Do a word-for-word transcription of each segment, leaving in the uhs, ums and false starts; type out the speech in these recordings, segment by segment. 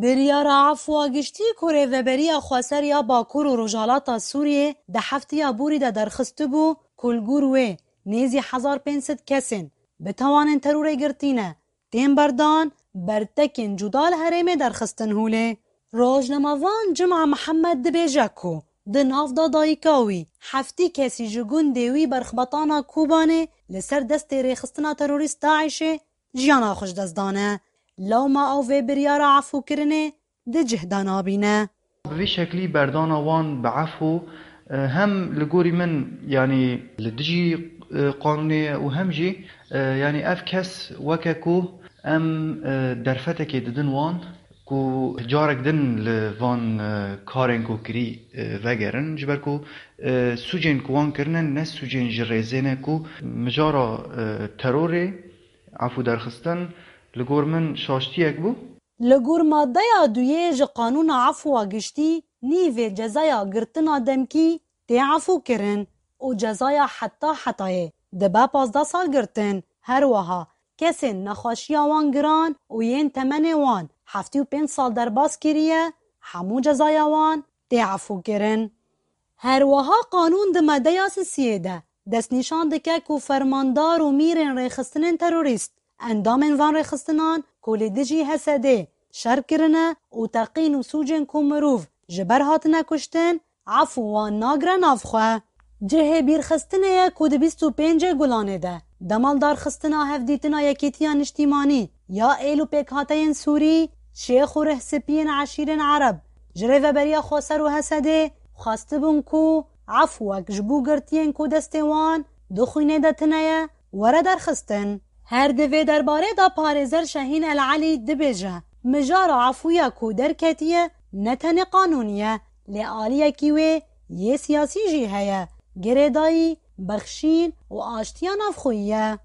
Biryara efwa giştî ku Rêveberiya Xweser ya Bakur û Rojhilata Sûriyê di heftiya borî de derxistibû ku li gor wê nêzî hezar pênc sed kesên bi tawanên terorê girtî ne, tên berdan, bertekên cuda li herêmê derxistin holê. Rojnamevan Cuma Mihemed dibêje ku di nav da dayika wî heftî kesî ji gundê wî berxbetana Kobanê li ser destê rêxistina terorîst DAIŞê jiyana xwe ji dest dane. Lewma ew vê biryara efûkirinê di cih de nabîne. Bi vî şeklî berdana wan bi efû, e, hem li gorî min, yanî li dijî, e, qanûnê ye û hem jî, e, yanî ev kes weke ku em, e, derfetekê didin wan ku carek din li van, e, karên ku kirî, e, vegerin, ji ber ku, e, sûcên ku wan kirine ne sûcên ji rêzê ne ku mijara, e, terorê, efû derxistin, li gor min şaştiyek bû. Li gor maddeya duyê ji Qanûna Efwa Giştî, nîvê cezaya girtina demkî tê efûkirin û cezaya heta hetayê dibe pazdeh sal girtin. Her wiha kesên nexweşiya wan giran û yên temenê wan heftê û pênc sal derbas kiriye, hemû cezaya wan tê efûkirin. Her wiha qanûn di maddeya sisiyê de destnîşan dike ku fermandar û mîrên rêxistinên terorîst, endamên van rêxistinan ku li dijî H S D'ê şer kirine û teqîn û sûcên ku mirov ji ber hatine kuştin, efû wan nagire nav xwe. Cihê bîrxistinê ye ku di bîst û pêncê Gulanê de dema li darxistina hevdîtina Yekîtiya Niştîmanî ya êl û pêkhateyên Sûrî, şêx û rihspiyên eşîrên Ereb ji Rêveberiya Xweser û H S D'ê xwestibûn ku efwek ji bo girtiyên ku destê wan di xwînê de tune ye, were derxistin. Her di vê derbarê de parêzer Şehîn El Elî dibêje, mijara efûya ku derketiye ne tenê qanûnî ye, lê aliyekî wê yê siyasî jî heye, girêdayî, bexşîn û aştiya navxweyî ye.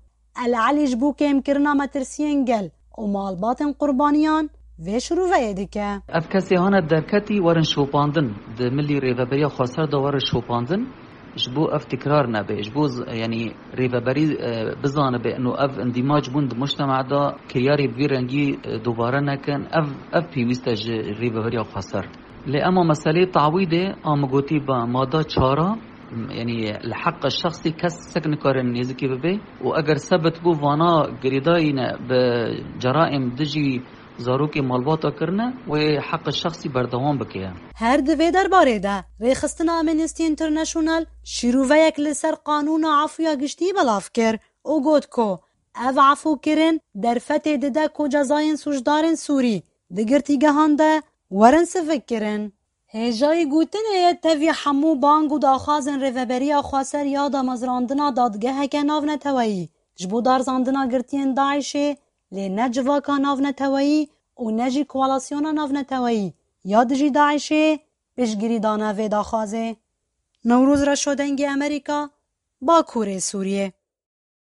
El Elî ji bo kêmkirina metirsiyên gel û malbatên qurbaniyan vê şirûveyê dike. Ev kesê hane derketî werin şopandin. Di milî Rêveberiya Xweser de werin şopandin. Ji bo ev tikrar nebe, ji bo z-, yanî rêveberî, e, bizanibe, ino ev îndîmac bûn di mujtema de, kiryarê bi vî rengî, e, dubare nekin. Ev, ev pêwîst e ji Rêveberiya Xweser. Lê ema meseleyê tawîdê, a min gotî ba mada çara, yanî li heqa şexsî kes sek nikare nêzikî bibe û eger sebit bû vana girêdayî ne bi ceraîm dijî zarokê malbata kirine, wê heqa şexsî berdewam bike. Her di vê derbarê de rêxistina Amnesty International şîroveyek li ser qanûna efûya giştî belav kir û got ku ev efûkirin derfetê dide ku cezayên sûcdarên Sûrî di girtîgehan de werin sivikkirin. Hêjayî gotinê ye tevî hemû bang û daxwazên Rêveberiya Xweser ya damezrandina dadgeheke navneteweyî ji bo darzandina girtiyên DAIŞê, lê ne civaka navneteweyî û ne jî koalîsyona navneteweyî ya dijî DAIŞê piştgirî dane vê daxwazê. Newroz Reşo, Dengê Amerîka, Bakurê Sûriyê.